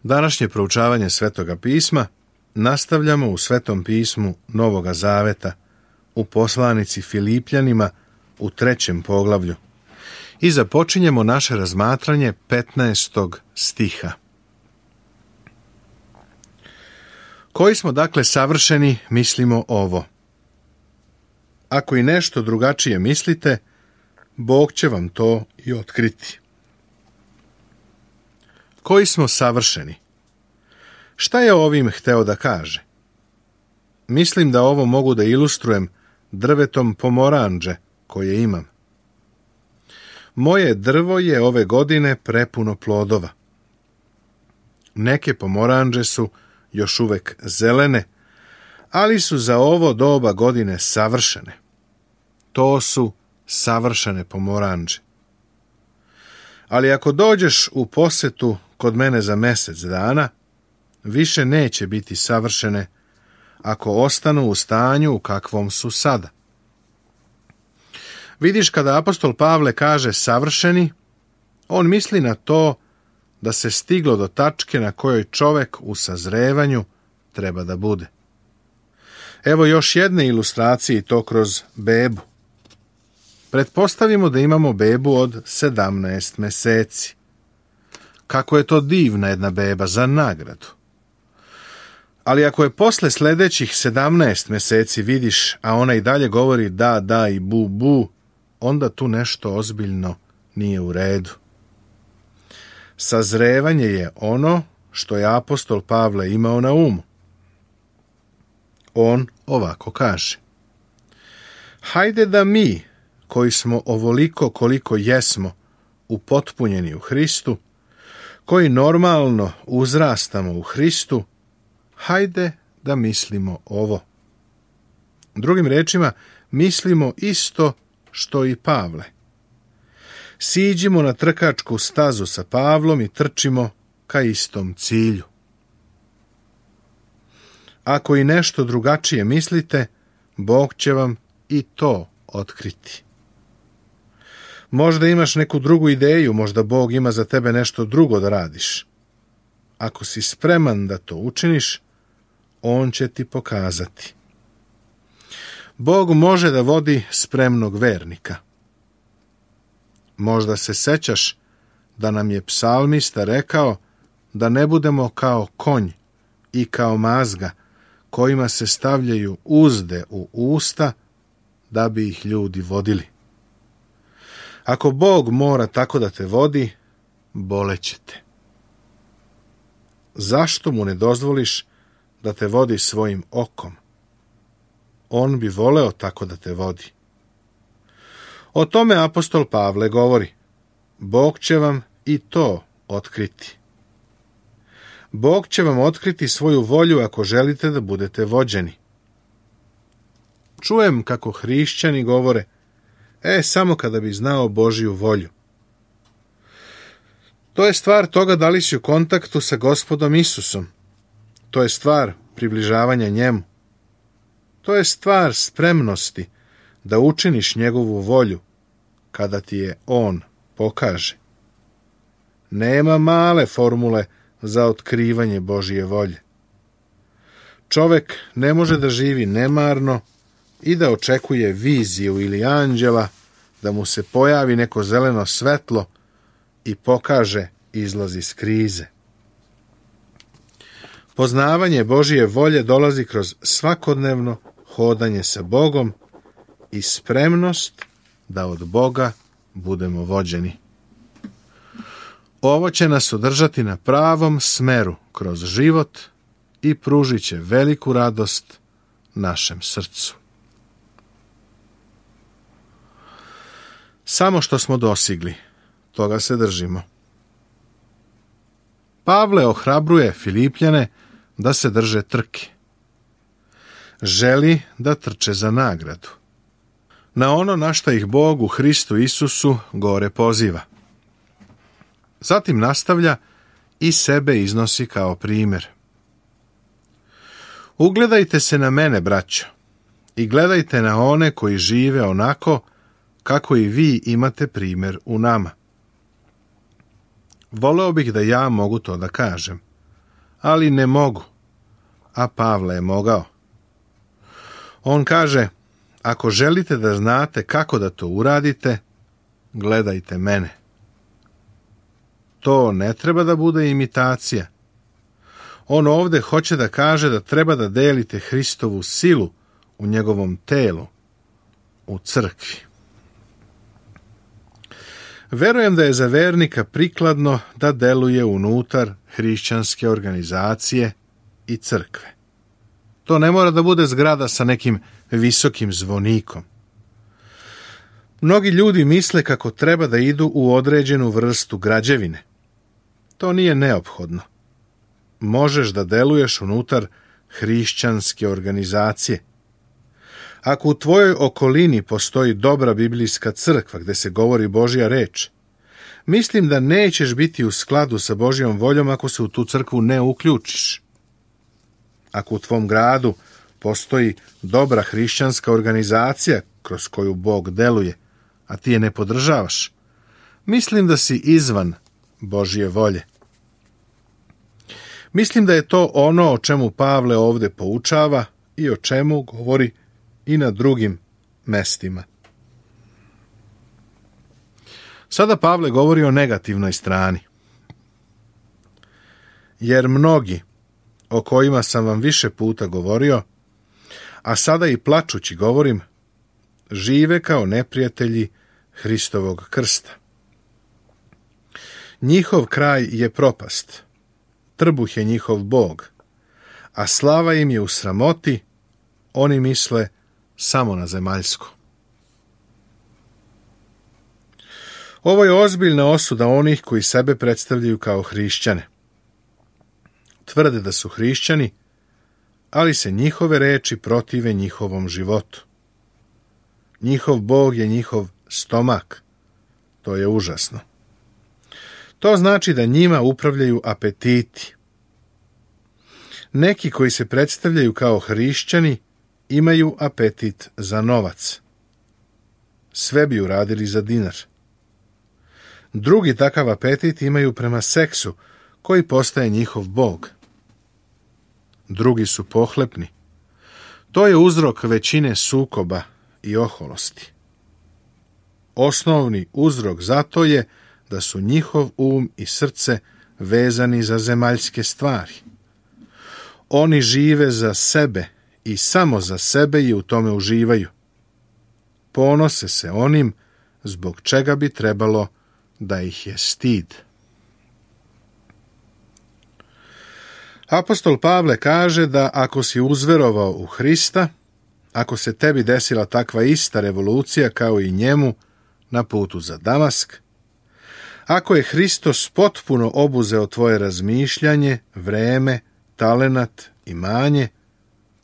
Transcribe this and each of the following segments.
Današnje proučavanje Svetoga pisma nastavljamo u Svetom pismu Novoga Zaveta, u poslanici Filipljanima u 3. poglavlju i započinjemo naše razmatranje 15. stiha. Koji smo dakle savršeni, mislimo ovo. Ako i nešto drugačije mislite, Bog će vam to i otkriti. Koji smo savršeni? Šta je ovim hteo da kaže? Mislim da ovo mogu da ilustrujem drvetom pomoranđe koje imam. Moje drvo je ove godine prepuno plodova. Neke pomoranđe su još uvek zelene, ali su za ovo doba godine savršene. To su savršene pomoranđe. Ali ako dođeš u posetu kod mene za mjesec dana, više neće biti savršene ako ostanu u stanju u kakvom su sada. Vidiš, kada apostol Pavle kaže savršeni, on misli na to da se stiglo do tačke na kojoj čovek u sazrevanju treba da bude. Evo još jedne ilustracije, to kroz bebu. Pretpostavimo da imamo bebu od 17 meseci. Kako je to divna jedna beba za nagradu. Ali ako je posle sledećih 17 meseci vidiš, a ona i dalje govori da, da i bu, bu, onda tu nešto ozbiljno nije u redu. Sazrevanje je ono što je apostol Pavle imao na umu. On ovako kaže: hajde da mi, koji smo ovoliko koliko jesmo upotpunjeni u Hristu, koji normalno uzrastamo u Hristu, hajde da mislimo ovo. Drugim rečima, mislimo isto što i Pavle. Siđimo na trkačku stazu sa Pavlom i trčimo ka istom cilju. Ako i nešto drugačije mislite, Bog će vam i to otkriti. Možda imaš neku drugu ideju, možda Bog ima za tebe nešto drugo da radiš. Ako si spreman da to učiniš, On će ti pokazati. Bog može da vodi spremnog vernika. Možda se sećaš da nam je psalmista rekao da ne budemo kao konj i kao mazga kojima se stavljaju uzde u usta da bi ih ljudi vodili. Ako Bog mora tako da te vodi, boleće te. Zašto mu ne dozvoliš da te vodi svojim okom? On bi voleo tako da te vodi. O tome apostol Pavle govori: Bog će vam i to otkriti. Bog će vam otkriti svoju volju ako želite da budete vođeni. Čujem kako hrišćani govore: samo kada bi znao Božiju volju. To je stvar toga da li si u kontaktu sa Gospodom Isusom. To je stvar približavanja njemu. To je stvar spremnosti da učiniš njegovu volju kada ti je on pokaže. Nema male formule za otkrivanje Božje volje. Čovek ne može da živi nemarno i da očekuje viziju ili anđela da mu se pojavi neko zeleno svetlo i pokaže izlaz iz krize. Poznavanje Božje volje dolazi kroz svakodnevno hodanje sa Bogom i spremnost da od Boga budemo vođeni. Ovo će nas održati na pravom smeru kroz život i pružit će veliku radost našem srcu. Samo što smo dosigli, toga se držimo. Pavle ohrabruje Filipljane da se drže trke. Želi da trče za nagradu. Na ono na šta ih Bog u Hristu Isusu gore poziva. Zatim nastavlja i sebe iznosi kao primjer. Ugledajte se na mene, braćo, i gledajte na one koji žive onako kako i vi imate primjer u nama. Voleo bih da ja mogu to da kažem, ali ne mogu, a Pavle je mogao. On kaže, ako želite da znate kako da to uradite, gledajte mene. To ne treba da bude imitacija. On ovdje hoće da kaže da treba da delite Hristovu silu u njegovom telu, u crkvi. Verujem da je za vernika prikladno da deluje unutar hrišćanske organizacije i crkve. To ne mora da bude zgrada sa nekim visokim zvonikom. Mnogi ljudi misle kako treba da idu u određenu vrstu građevine. To nije neophodno. Možeš da deluješ unutar hrišćanske organizacije. Ako u tvojoj okolini postoji dobra biblijska crkva gdje se govori Božja reč, mislim da nećeš biti u skladu sa Božjom voljom ako se u tu crkvu ne uključiš. Ako u tvom gradu postoji dobra hrišćanska organizacija kroz koju Bog deluje, a ti je ne podržavaš, mislim da si izvan Božje volje. Mislim da je to ono o čemu Pavle ovdje poučava i o čemu govori i na drugim mestima. Sada Pavle govori o negativnoj strani. Jer mnogi, o kojima sam vam više puta govorio, a sada i plačući govorim, žive kao neprijatelji Hristovog krsta. Njihov kraj je propast, trbuh je njihov Bog, a slava im je u sramoti, oni misle samo na zemaljsko. Ovo je ozbiljna osuda onih koji sebe predstavljaju kao hrišćane. Tvrde da su hrišćani, ali se njihove reči protive njihovom životu. Njihov Bog je njihov stomak. To je užasno. To znači da njima upravljaju apetiti. Neki koji se predstavljaju kao hrišćani imaju apetit za novac. Sve bi uradili za dinar. Drugi takav apetit imaju prema seksu, koji postaje njihov Bog. Drugi su pohlepni. To je uzrok većine sukoba i oholosti. Osnovni uzrok za to je da su njihov um i srce vezani za zemaljske stvari. Oni žive za sebe i samo za sebe i u tome uživaju. Ponose se onim zbog čega bi trebalo da ih je stid. Apostol Pavle kaže da ako si uzverovao u Hrista, ako se tebi desila takva ista revolucija kao i njemu na putu za Damask, ako je Hristos potpuno obuzeo tvoje razmišljanje, vreme, talenat, imanje,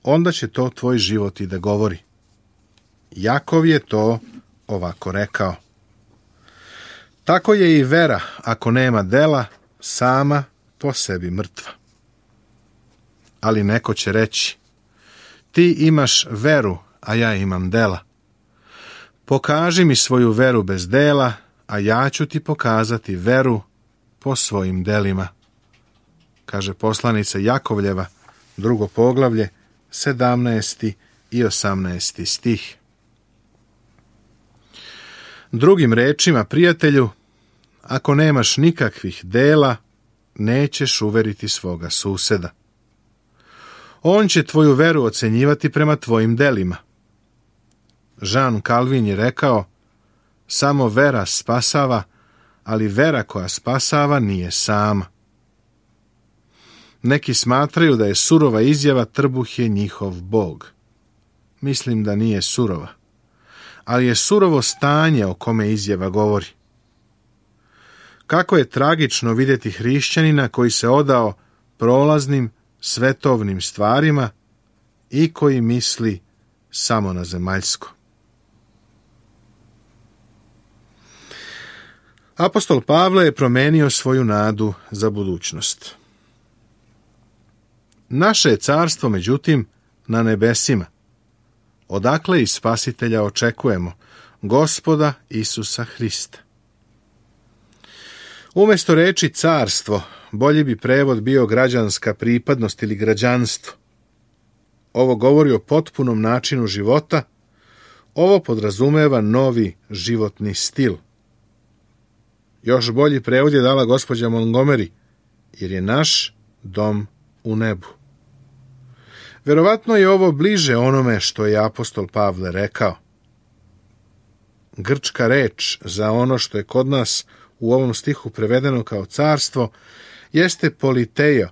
onda će to tvoj život i da govori. Jakov je to ovako rekao. Tako je i vera, ako nema dela, sama po sebi mrtva. Ali neko će reći, ti imaš veru, a ja imam dela. Pokaži mi svoju veru bez dela, a ja ću ti pokazati veru po svojim delima. Kaže poslanica Jakovljeva, 2. poglavlje, 17. i 18. stih. Drugim rečima, prijatelju, ako nemaš nikakvih dela, nećeš uveriti svoga suseda. On će tvoju veru ocenjivati prema tvojim delima. Jean Calvin je rekao, samo vera spasava, ali vera koja spasava nije sama. Neki smatraju da je surova izjava trbuh je njihov Bog. Mislim da nije surova, ali je surovo stanje o kome izjava govori. Kako je tragično vidjeti hrišćanina koji se odao prolaznim, svetovnim stvarima i koji misli samo na zemaljsko. Apostol Pavle je promenio svoju nadu za budućnost. Naše je carstvo, međutim, na nebesima, odakle i spasitelja očekujemo, Gospoda Isusa Hrista. Umjesto reči carstvo, bolji bi prevod bio građanska pripadnost ili građanstvo. Ovo govori o potpunom načinu života, ovo podrazumeva novi životni stil. Još bolji prevod je dala gospođa Montgomery, jer je naš dom u nebu. Verovatno je ovo bliže onome što je apostol Pavle rekao. Grčka reč za ono što je kod nas u ovom stihu prevedeno kao carstvo jeste politeio,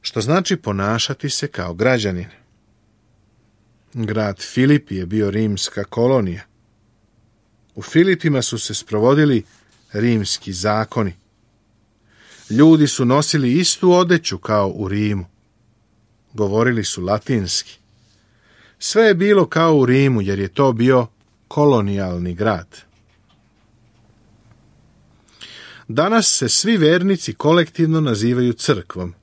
što znači ponašati se kao građanin. Grad Filipi je bio rimska kolonija. U Filipima su se sprovodili rimski zakoni. Ljudi su nosili istu odeću kao u Rimu. Govorili su latinski. Sve je bilo kao u Rimu, jer je to bio kolonijalni grad. Danas se svi vernici kolektivno nazivaju crkvom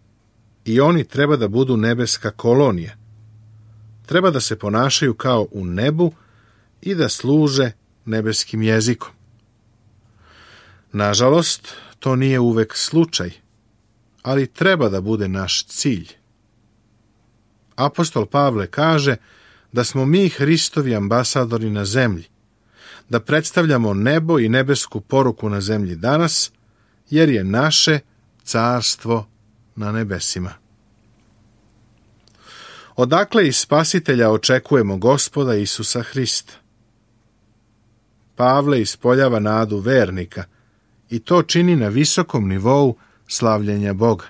i oni treba da budu nebeska kolonija. Treba da se ponašaju kao u nebu i da služe nebeskim jezikom. Nažalost, to nije uvek slučaj, ali treba da bude naš cilj. Apostol Pavle kaže da smo mi Hristovi ambasadori na zemlji, da predstavljamo nebo i nebesku poruku na zemlji danas, jer je naše carstvo na nebesima. Odakle iz Spasitelja očekujemo Gospoda Isusa Hrista? Pavle ispoljava nadu vernika i to čini na visokom nivou slavljenja Boga.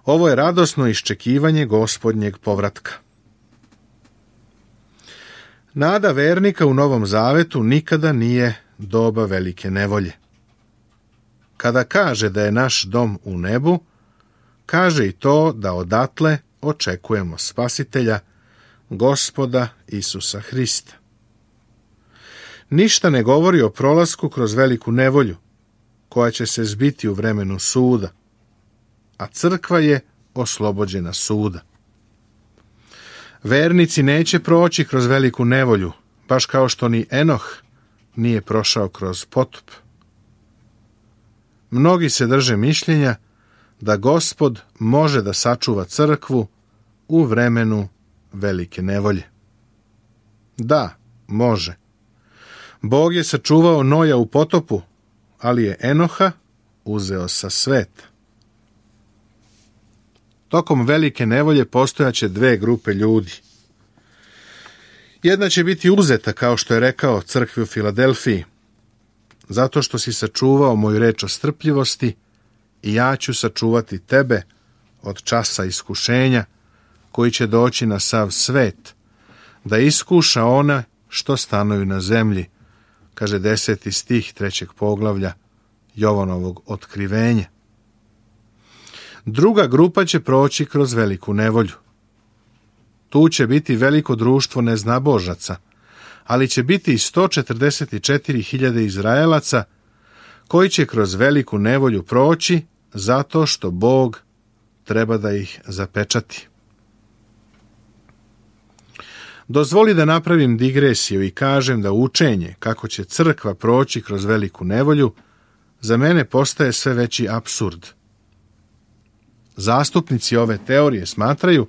Ovo je radosno iščekivanje Gospodnjeg povratka. Nada vernika u Novom Zavetu nikada nije doba velike nevolje. Kada kaže da je naš dom u nebu, kaže i to da odatle očekujemo Spasitelja, Gospoda Isusa Hrista. Ništa ne govori o prolasku kroz veliku nevolju, koja će se zbiti u vremenu suda, a crkva je oslobođena suda. Vernici neće proći kroz veliku nevolju, baš kao što ni Enoh nije prošao kroz potop. Mnogi se drže mišljenja da Gospod može da sačuva crkvu u vremenu velike nevolje. Da, može. Bog je sačuvao Noja u potopu, ali je Enoha uzeo sa sveta. Tokom velike nevolje postojaće dve grupe ljudi. Jedna će biti uzeta, kao što je rekao crkvi u Filadelfiji, zato što si sačuvao moju reč o strpljivosti i ja ću sačuvati tebe od časa iskušenja koji će doći na sav svet, da iskuša one što stanuju na zemlji, kaže 10. stih 3. poglavlja Jovanovog otkrivenja. Druga grupa će proći kroz veliku nevolju. Tu će biti veliko društvo neznabožaca, ali će biti i 144.000 Izraelaca koji će kroz veliku nevolju proći zato što Bog treba da ih zapečati. Dozvoli da napravim digresiju i kažem da učenje kako će crkva proći kroz veliku nevolju za mene postaje sve veći apsurd. Zastupnici ove teorije smatraju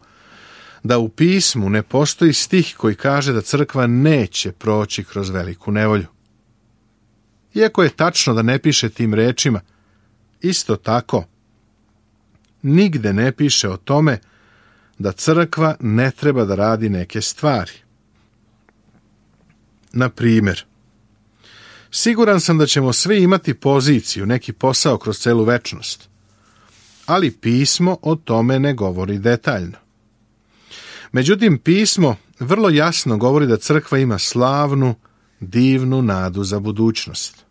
da u pismu ne postoji stih koji kaže da crkva neće proći kroz veliku nevolju. Iako je tačno da ne piše tim rečima, isto tako nigde ne piše o tome da crkva ne treba da radi neke stvari. Na primjer, siguran sam da ćemo svi imati poziciju, neki posao kroz celu večnost, ali pismo o tome ne govori detaljno. Međutim, pismo vrlo jasno govori da crkva ima slavnu, divnu nadu za budućnost.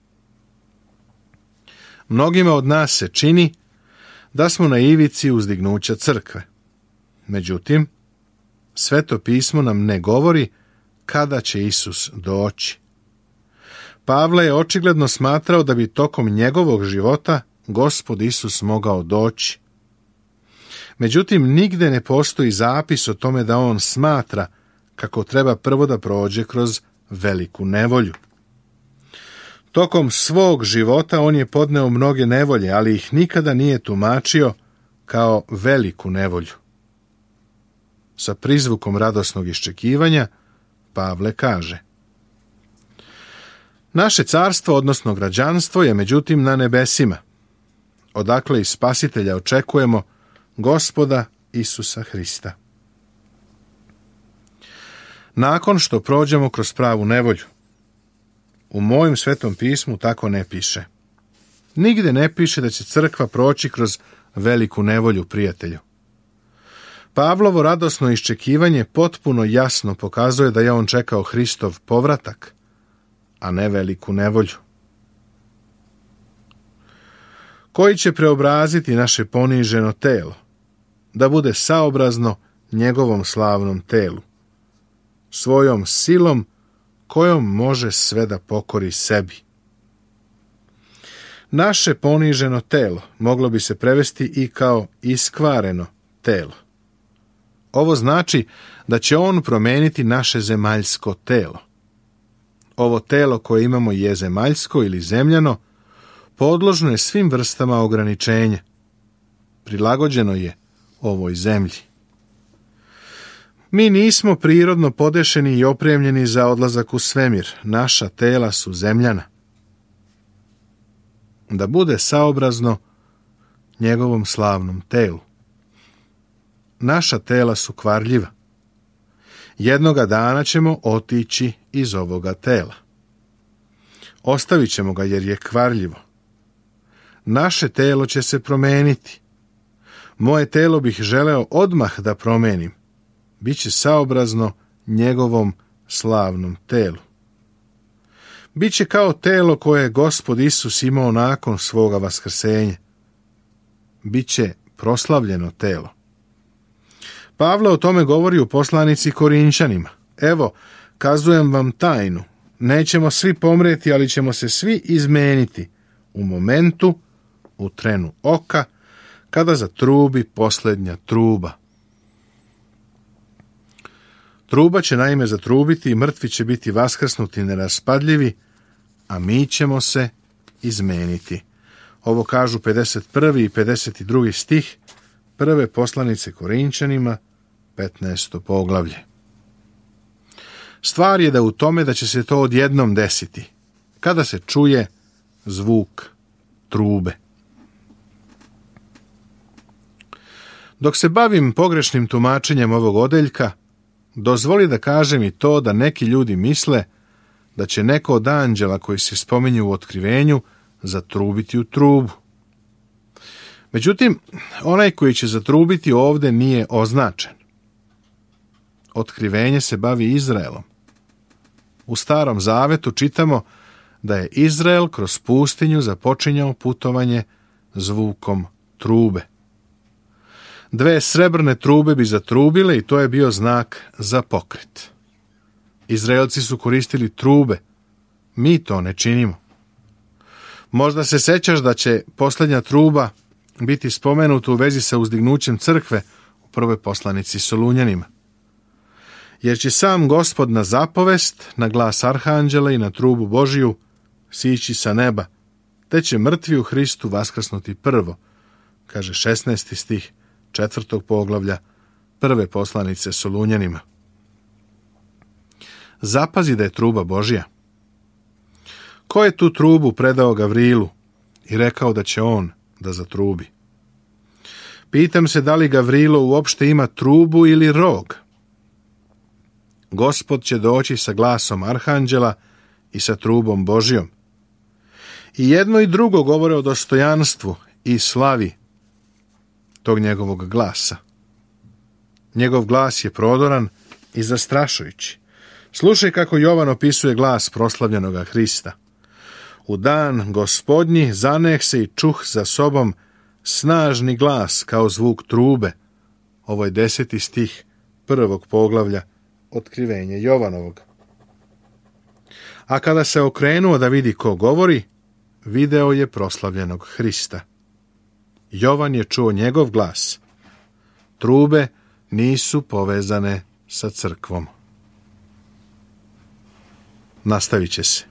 Mnogima od nas se čini da smo na ivici uzdignuća crkve. Međutim, Sveto pismo nam ne govori kada će Isus doći. Pavle je očigledno smatrao da bi tokom njegovog života Gospod Isus mogao doći. Međutim, nigde ne postoji zapis o tome da on smatra kako treba prvo da prođe kroz veliku nevolju. Tokom svog života on je podneo mnoge nevolje, ali ih nikada nije tumačio kao veliku nevolju. Sa prizvukom radosnog iščekivanja Pavle kaže: naše carstvo, odnosno građanstvo, je međutim na nebesima, odakle i Spasitelja očekujemo, Gospoda Isusa Hrista. Nakon što prođemo kroz pravu nevolju, u mojem Svetom pismu tako ne piše. Nigde ne piše da će crkva proći kroz veliku nevolju, prijatelju. Pavlovo radosno iščekivanje potpuno jasno pokazuje da je on čekao Hristov povratak, a ne veliku nevolju. Koji će preobraziti naše poniženo telo, da bude saobrazno njegovom slavnom telu, svojom silom kojom može sve da pokori sebi. Naše poniženo telo moglo bi se prevesti i kao iskvareno telo. Ovo znači da će on promeniti naše zemaljsko telo. Ovo telo koje imamo je zemaljsko ili zemljano, podložno je svim vrstama ograničenja. Prilagođeno je ovoj zemlji. Mi nismo prirodno podešeni i opremljeni za odlazak u svemir. Naša tela su zemljana. Da bude saobrazno njegovom slavnom telu. Naša tela su kvarljiva. Jednoga dana ćemo otići iz ovoga tela. Ostavit ćemo ga jer je kvarljivo. Naše telo će se promeniti. Moje telo bih želeo odmah da promenim. Biće saobrazno njegovom slavnom telu. Biće kao telo koje je Gospod Isus imao nakon svoga vaskrsenja. Biće proslavljeno telo. Pavle o tome govori u poslanici Korinčanima. Evo, kazujem vam tajnu. Nećemo svi pomreti, ali ćemo se svi izmeniti u momentu, u trenu oka, kada zatrubi posljednja truba. Truba će naime zatrubiti i mrtvi će biti vaskrsnuti neraspadljivi, a mi ćemo se izmeniti. Ovo kažu 51. i 52. stih prve poslanice Korinčanima, 15. poglavlje. Stvar je da u tome da će se to odjednom desiti, kada se čuje zvuk trube. Dok se bavim pogrešnim tumačenjem ovog odeljka, dozvoli da kažem i to da neki ljudi misle da će neko od anđela koji se spominju u otkrivenju zatrubiti u trubu. Međutim, onaj koji će zatrubiti ovdje nije označen. Otkrivenje se bavi Izraelom. U Starom Zavetu čitamo da je Izrael kroz pustinju započinjao putovanje zvukom trube. 2 srebrne trube bi zatrubile i to je bio znak za pokret. Izraelci su koristili trube. Mi to ne činimo. Možda se sećaš da će posljednja truba biti spomenuta u vezi sa uzdignućem crkve u prvoj poslanici Solunjanima. Jer će sam Gospod na zapovest, na glas arhanđela i na trubu Božiju sići sa neba, te će mrtvi u Hristu vaskrsnuti prvo, kaže 16. stih 4. poglavlja prve poslanice Solunjanima. Zapazi da je truba Božja. Ko je tu trubu predao Gavrilu i rekao da će on da zatrubi? Pitam se da li Gavrilo uopšte ima trubu ili rog. Gospod će doći sa glasom arhanđela i sa trubom Božjom. I jedno i drugo govore o dostojanstvu i slavi tog njegovog glasa. Njegov glas je prodoran i zastrašujući. Slušaj kako Jovan opisuje glas proslavljenoga Hrista. U dan Gospodnji zaneh se i čuh za sobom snažni glas kao zvuk trube. Ovo je 10. stih 1. poglavlja Otkrivenje Jovanovog. A kada se okrenuo da vidi ko govori, video je proslavljenog Hrista. Jovan je čuo njegov glas. Trube nisu povezane sa crkvom. Nastavit će se.